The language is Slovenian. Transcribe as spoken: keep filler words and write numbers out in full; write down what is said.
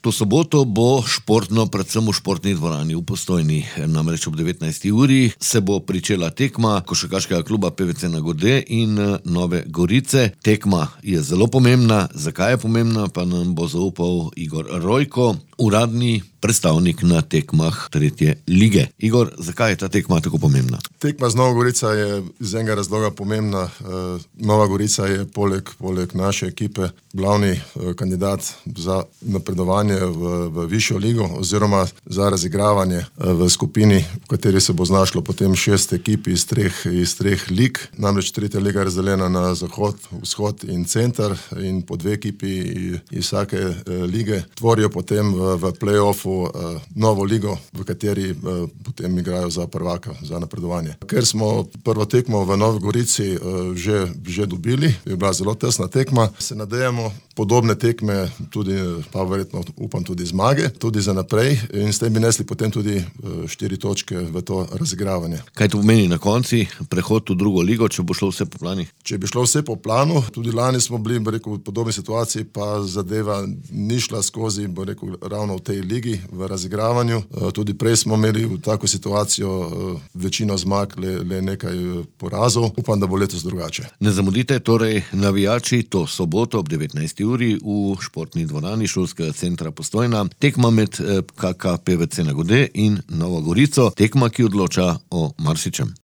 To soboto bo športno, predvsem v športni dvorani v Postojni. Namreč ob devetnajsti uri se bo pričela tekma košarkarskega kluba P V C Nagode in Nove Gorice. Tekma je zelo pomembna. Zakaj je pomembna, pa nam bo zaupal Igor Rojko, uradni predstavnik na tekmah tretje lige. Igor, zakaj je ta tekma tako pomembna? Tekma z Novo Gorica je iz enega razloga pomembna. Nova Gorica je poleg, poleg naše ekipe glavni kandidat za napredovanje v, v višjo ligo oziroma za razigravanje v skupini, v kateri se bo znašlo potem šest ekip iz treh, iz treh lig. Namreč tretja liga je razdeljena na zahod, vzhod in center in po dve ekipi iz vsake lige tvorijo potem v, v play-offu novo ligo, v kateri potem igrajo za prvaka, za napredovanje. Ker smo prvo tekmo v Novi Gorici že, že dobili, je bila zelo tesna tekma, se nadejamo podobne tekme, tudi pa verjetno upam tudi zmage, tudi za naprej in s tem bi nesli potem tudi štiri točke v to razigravanje. Kaj to pomeni na konci, prehod v drugo ligo, če bo šlo vse po plani? Če bi šlo vse po planu, tudi lani smo bili, bi rekel, v podobni situaciji, pa zadeva ni šla skozi, bi rekel, ravno v tej ligi, v razigravanju. Tudi prej smo imeli v tako situacijo večino zmag, le, le nekaj porazov. Upam, da bo letos drugače. Ne zamudite torej navijači to soboto ob devetnajsti uri v športni dvorani šolskega centra Postojna. Tekma med K K P V C Nagode in Novo Gorico. Tekma, ki odloča o marsičem.